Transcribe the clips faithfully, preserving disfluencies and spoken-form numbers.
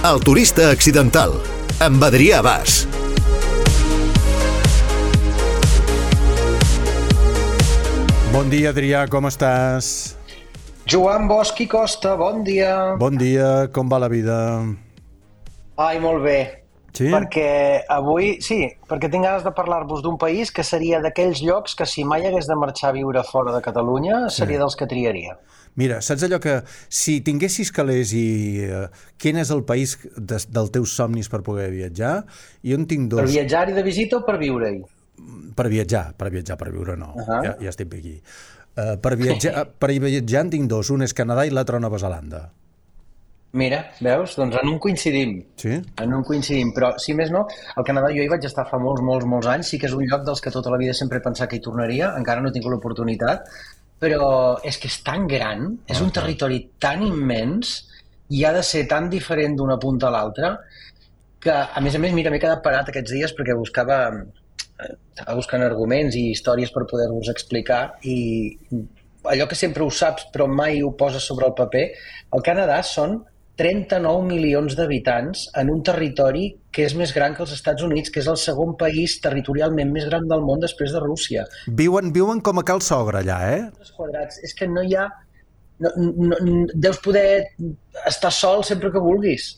El turista accidental, amb Adrià Bas. Bon dia, Adrià, com estàs? Joan Bosch i Costa, bon dia. Bon dia, com va la vida? Ai, molt bé. Sí? Perquè avui, sí, perquè tinc ganes de parlar-vos d'un país que seria d'aquells llocs que si mai hagués de marxar a viure fora de Catalunya seria sí. dels que triaria. Mira, saps allò que si tinguessis calés i uh, quin és el país de, dels teus somnis per poder viatjar? Jo en tinc dos. Per viatjar-hi de visita o per viure-hi? Per viatjar, per viatjar, per viure no. Uh-huh. ja, ja estic aquí. Uh, per, viatjar, per viatjar en tinc dos, un és Canadà i l'altre Nova Zelanda. Mira, veus? Doncs en un coincidim. Sí? En un coincidim, però si més no, al Canadà jo hi vaig estar fa molts, molts, molts anys, sí que és un lloc dels que tota la vida sempre he pensat que hi tornaria, encara no he tingut l'oportunitat, però és que és tan gran, és un territori tan immens i ha de ser tan diferent d'una punta a l'altra que, a més a més, mira, m'he quedat parat aquests dies perquè buscava, estava buscant arguments i històries per poder-vos explicar i allò que sempre ho saps però mai ho poses sobre el paper, el Canadà són trenta-nou milions d'habitants en un territori que és més gran que els Estats Units, que és el segon país territorialment més gran del món després de Rússia. Viuen, viuen com a cal sogra allà, eh? Quadrats. És que no hi ha... No, no, deus poder estar sol sempre que vulguis.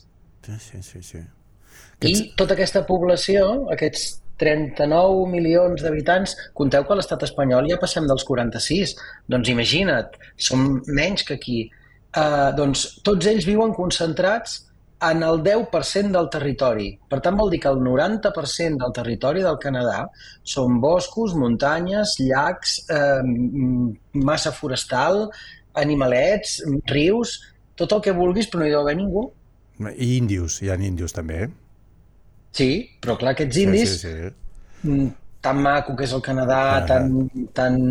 Sí, sí, sí. sí. I Aquests... tota aquesta població, aquests trenta-nou milions d'habitants, conteu que a l'estat espanyol ja passem dels quaranta-sis. Doncs imagina't, som menys que aquí. Uh, doncs tots ells viuen concentrats en el deu per cent del territori. Per tant, vol dir que el noranta per cent del territori del Canadà són boscos, muntanyes, llacs, eh, massa forestal, animalets, rius, tot el que vulguis, però no hi deu haver ningú. I índios, hi ha índios també, eh? Sí, però clar, aquests indis, sí, sí, sí. tan maco que és el Canadà, ah, tan... tan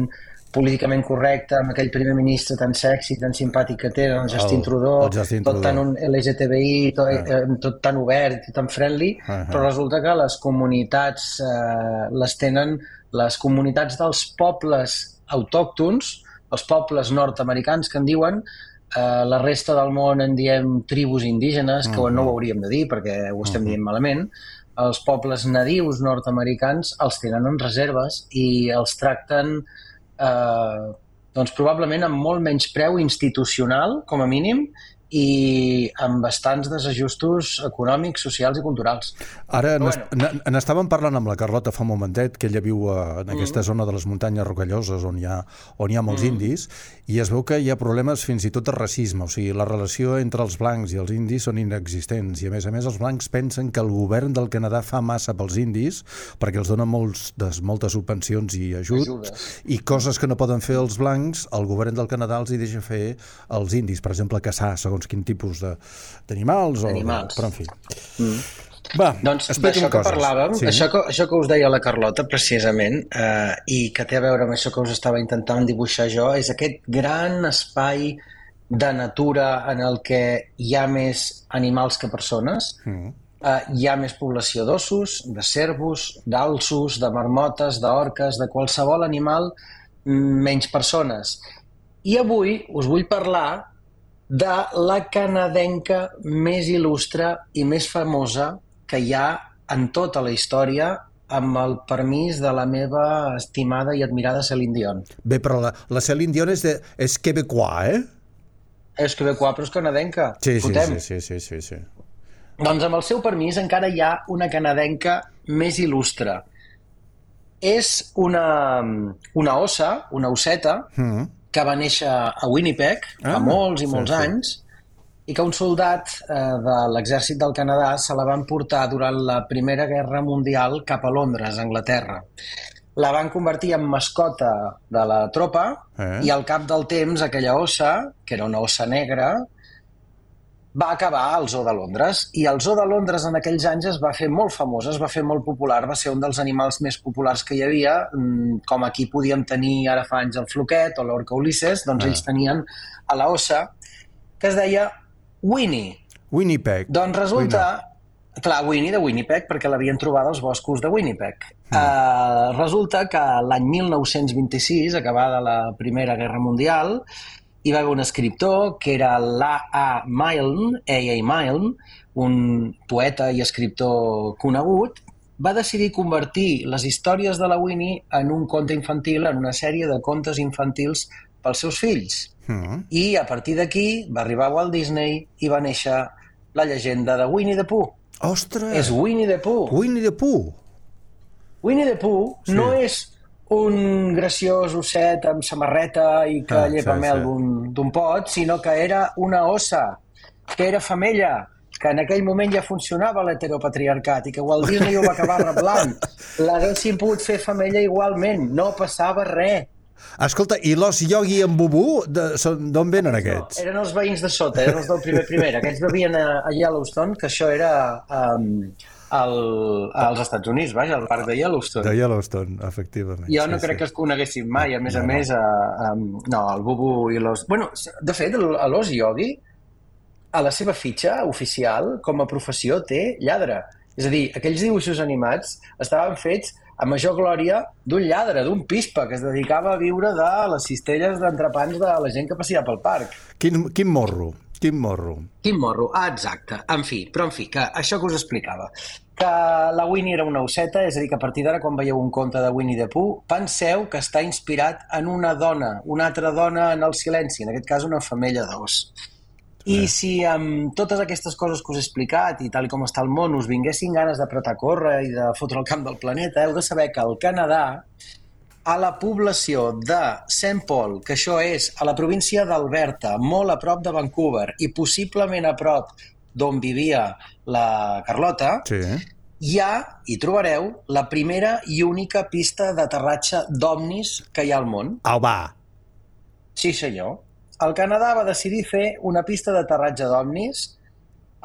políticament correcte, amb aquell primer ministre tan sexy, tan simpàtic que té, el Justin Trudeau, el Justin tot Trudeau. Tan un L G T B I, tot, ah. eh, tot tan obert i tan friendly, ah, però resulta que les comunitats eh, les tenen, les comunitats dels pobles autòctons, els pobles nord-americans que en diuen, eh, la resta del món en diem tribus indígenes, que uh-huh. no ho hauríem de dir perquè ho estem uh-huh. dient malament, els pobles nadius nord-americans els tenen en reserves i els tracten Uh, doncs probablement amb molt menys preu institucional, com a mínim, i amb bastants desajustos econòmics, socials i culturals. Ara n'estàvem parlant amb la Carlota fa un momentet, que ella viu en aquesta mm. zona de les muntanyes rocalloses on hi ha, on hi ha molts mm. indis, i es veu que hi ha problemes fins i tot de racisme, o sigui, la relació entre els blancs i els indis són inexistents, i a més a més els blancs pensen que el govern del Canadà fa massa pels indis, perquè els dona molts, des, moltes subvencions i ajuts, Ajudes. i coses que no poden fer els blancs, el govern del Canadà els hi deixa fer els indis, per exemple, caçar, segons quin tipus d'animals, o, però en fi. Mm. Va, doncs d'això que parlàvem, sí. això, que, això que us deia la Carlota precisament, eh, i que té a veure amb això que us estava intentant dibuixar jo, és aquest gran espai de natura en el que hi ha més animals que persones, mm. eh, hi ha més població d'ossos, de cérvols, d'alços, de marmotes, d'orques, de qualsevol animal, menys persones. I avui us vull parlar de la canadenca més il·lustre i més famosa que hi ha en tota la història, amb el permís de la meva estimada i admirada Céline Dion. Bé, però la, la Céline Dion és, de, és quebecois, eh? És quebecois, però és canadenca. Sí, sí, sí, sí, sí, sí, sí. Doncs amb el seu permís encara hi ha una canadenca més il·lustre. És una, una ossa, una osseta, mm. que va néixer a Winnipeg fa ah, molts i molts sí, anys sí. i que un soldat eh, de l'exèrcit del Canadà se la van portar durant la Primera Guerra Mundial cap a Londres, Anglaterra. La van convertir en mascota de la tropa eh? i al cap del temps aquella ossa, que era una ossa negra, va acabar al Zoo de Londres, i el Zoo de Londres en aquells anys es va fer molt famós, es va fer molt popular, va ser un dels animals més populars que hi havia, com aquí podíem tenir ara fa anys el floquet o l'orca Ulisses, doncs ah. ells tenien a la ossa, que es deia Winnie. Winnipeg. Doncs resulta... Winnie. Clar, Winnie de Winnipeg, perquè l'havien trobat als boscos de Winnipeg. Mm. Uh, resulta que l'any mil nou-cents vint-i-sis, acabada la Primera Guerra Mundial, hi va haver un escriptor que era l'A A Milne, A A Milne, un poeta i escriptor conegut, va decidir convertir les històries de la Winnie en un conte infantil, en una sèrie de contes infantils pels seus fills. Mm. I a partir d'aquí va arribar Walt Disney i va néixer la llegenda de Winnie the Pooh. Ostres! És Winnie the Pooh. Winnie the Pooh. Winnie the Pooh sí. no és un graciós osset amb samarreta i que ah, llepa sí, mel sí. d'un pot, sinó que era una ossa, que era femella, que en aquell moment ja funcionava l'heteropatriarcat i que Walt Disney ho va acabar reblant. L'haguessin pogut fer femella igualment, no passava res. Escolta, i l'os Yogi i en Bubú, d'on venen aquests? No, eren els veïns de sota, eren els del primer primera. Aquests vivien a, a Yellowstone, que això era um, al, als Estats Units, vaja, al parc de Yellowstone. De Yellowstone, efectivament. Jo no sí, crec sí. que els coneguéssim mai, a més no, a més, no. A, a, no, el Bubú i l'os... Bueno, de fet, l'os Yogi, a la seva fitxa oficial, com a professió, té lladre. És a dir, aquells dibuixos animats estaven fets a major glòria d'un lladre, d'un pispa, que es dedicava a viure de les cistelles d'entrepans de la gent que passia pel parc. Quin, quin morro, quin morro. Quin morro, ah, exacte. En fi, però en fi, que això que us explicava, que la Winnie era una osseta, és a dir, que a partir d'ara, quan veieu un conte de Winnie the Pooh, penseu que està inspirat en una dona, una altra dona en el silenci, en aquest cas una femella d'os. I si amb totes aquestes coses que us he explicat i tal com està el món us vinguessin ganes d'apretar córrer i de fotre el camp del planeta, heu de saber que al Canadà, a la població de Saint Paul, que això és a la província d'Alberta, molt a prop de Vancouver i possiblement a prop d'on vivia la Carlota, sí. hi ha, hi trobareu, la primera i única pista d'aterratge d'ovnis que hi ha al món. Au, va! Sí, senyor. El Canadà va decidir fer una pista d'aterratge d'ovnis.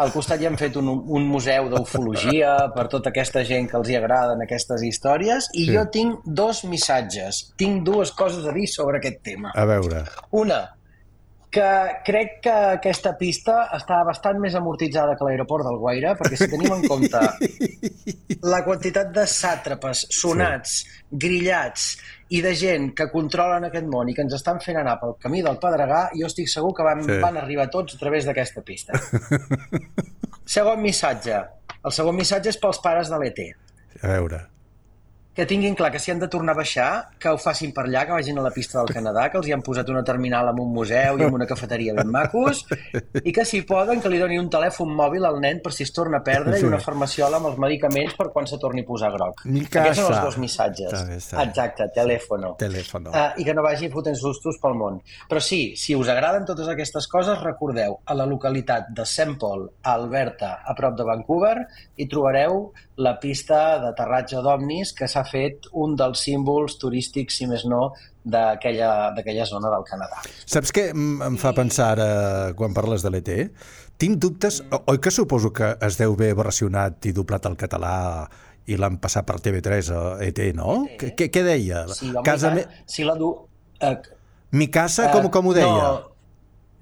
Al costat hi han fet un, un museu d'ufologia per tota aquesta gent que els hi agraden aquestes històries i sí. jo tinc dos missatges. Tinc dues coses a dir sobre aquest tema. A veure. Una, que crec que aquesta pista està bastant més amortitzada que l'aeroport d'Alguaire, perquè si tenim en compte la quantitat de sàtrapes, sonats, sí. grillats i de gent que controlen aquest món i que ens estan fent anar pel camí del Pedregà, jo estic segur que van, sí. van arribar tots a través d'aquesta pista. Segon missatge. El segon missatge és pels pares de l'E T. A veure. Que tinguin clar que si han de tornar a baixar, que ho facin per allà, que vagin a la pista del Canadà, que els hi han posat una terminal amb un museu i amb una cafeteria ben macos, i que si poden que li doni un telèfon mòbil al nen per si es torna a perdre sí. i una farmaciola amb els medicaments per quan se torni a posar groc. Aquests són els dos missatges. Està bé, està bé. Exacte, telèfono. Telèfono. Uh, I que no vagi fotent sustos pel món. Però sí, si us agraden totes aquestes coses, recordeu, a la localitat de Saint Paul, a Alberta, a prop de Vancouver, hi trobareu la pista d'aterratge d'ovnis que s'ha fet un dels símbols turístics, si més no, d'aquella zona del Canadà. Saps què em fa pensar ara, quan parles de l'E T? Tinc dubtes, oi que suposo que es deu haver versionat i doblat al català i l'han passat per T V tres a E T, no? Què, què deia? Sí, home, casa me... si la du... Uh, Mi casa, uh, com, com ho deia? No,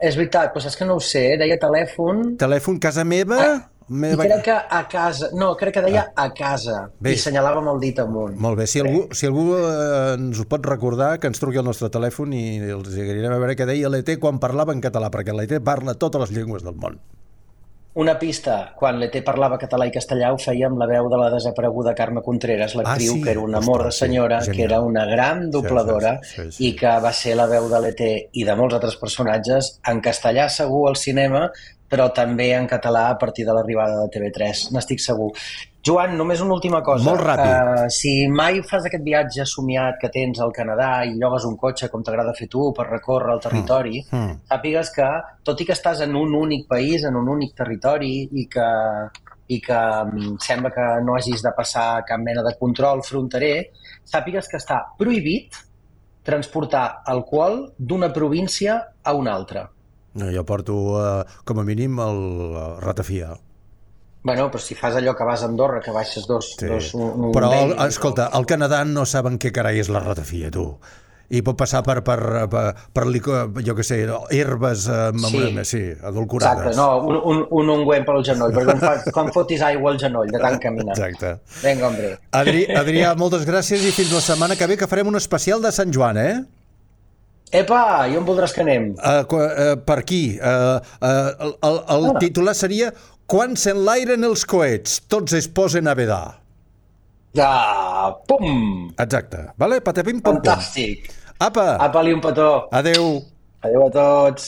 és veritat, però saps que no ho sé, deia telèfon... Telèfon casa meva... Uh, I crec que a casa... No, crec que deia a casa. Bé. I senyalava amb el dit amunt. Molt bé. Si algú, si algú eh, ens ho pot recordar, que ens truqui al nostre telèfon i els anirem a veure què deia l'E T quan parlava en català, perquè l'E T parla totes les llengües del món. Una pista. Quan l'E T parlava català i castellà ho feia amb la veu de la desapareguda Carme Contreras, l'actriu, ah, sí? que era un amor de senyora, sí, que era una gran dobladora sí, sí, sí, sí. i que va ser la veu de l'E T i de molts altres personatges en castellà segur al cinema, però també en català a partir de l'arribada de T V tres, n'estic segur. Joan, només una última cosa. Molt ràpid. Uh, si mai fas aquest viatge somiat que tens al Canadà i llogues un cotxe com t'agrada fer tu per recórrer el territori, mm. Mm. sàpigues que, tot i que estàs en un únic país, en un únic territori i que, i que sembla que no hagis de passar cap mena de control fronterer, sàpigues que està prohibit transportar alcohol d'una província a una altra. No, jo porto, uh, com a mínim, el uh, ratafia. Bueno, però si fas allò que vas a Andorra, que baixes dos... Sí. dos un, un però, el, vell, escolta, al Canadà no saben què carai és la ratafia, tu. I pot passar per, per, per, per jo què sé, herbes amb, sí. Amb, sí, adulcorades. Exacte, no, un, un, un ungüent pel genoll, perquè quan, fa, quan fotis aigua al genoll, de tant caminar. Exacte. Vinga, hombre. Adri, Adrià, moltes gràcies i fins la setmana que ve, que farem un especial de Sant Joan, eh? Epa, i on voldràs que anem? Uh, uh, per aquí. Uh, uh, el el, el ah. titular seria Quan s'enlairen els coets, tots es posen a vedar. Ah, pum! Exacte. Vale? Patapim, pom, pom. Fantàstic. Apa! Apa-li un petó. Adeu. Adeu a tots.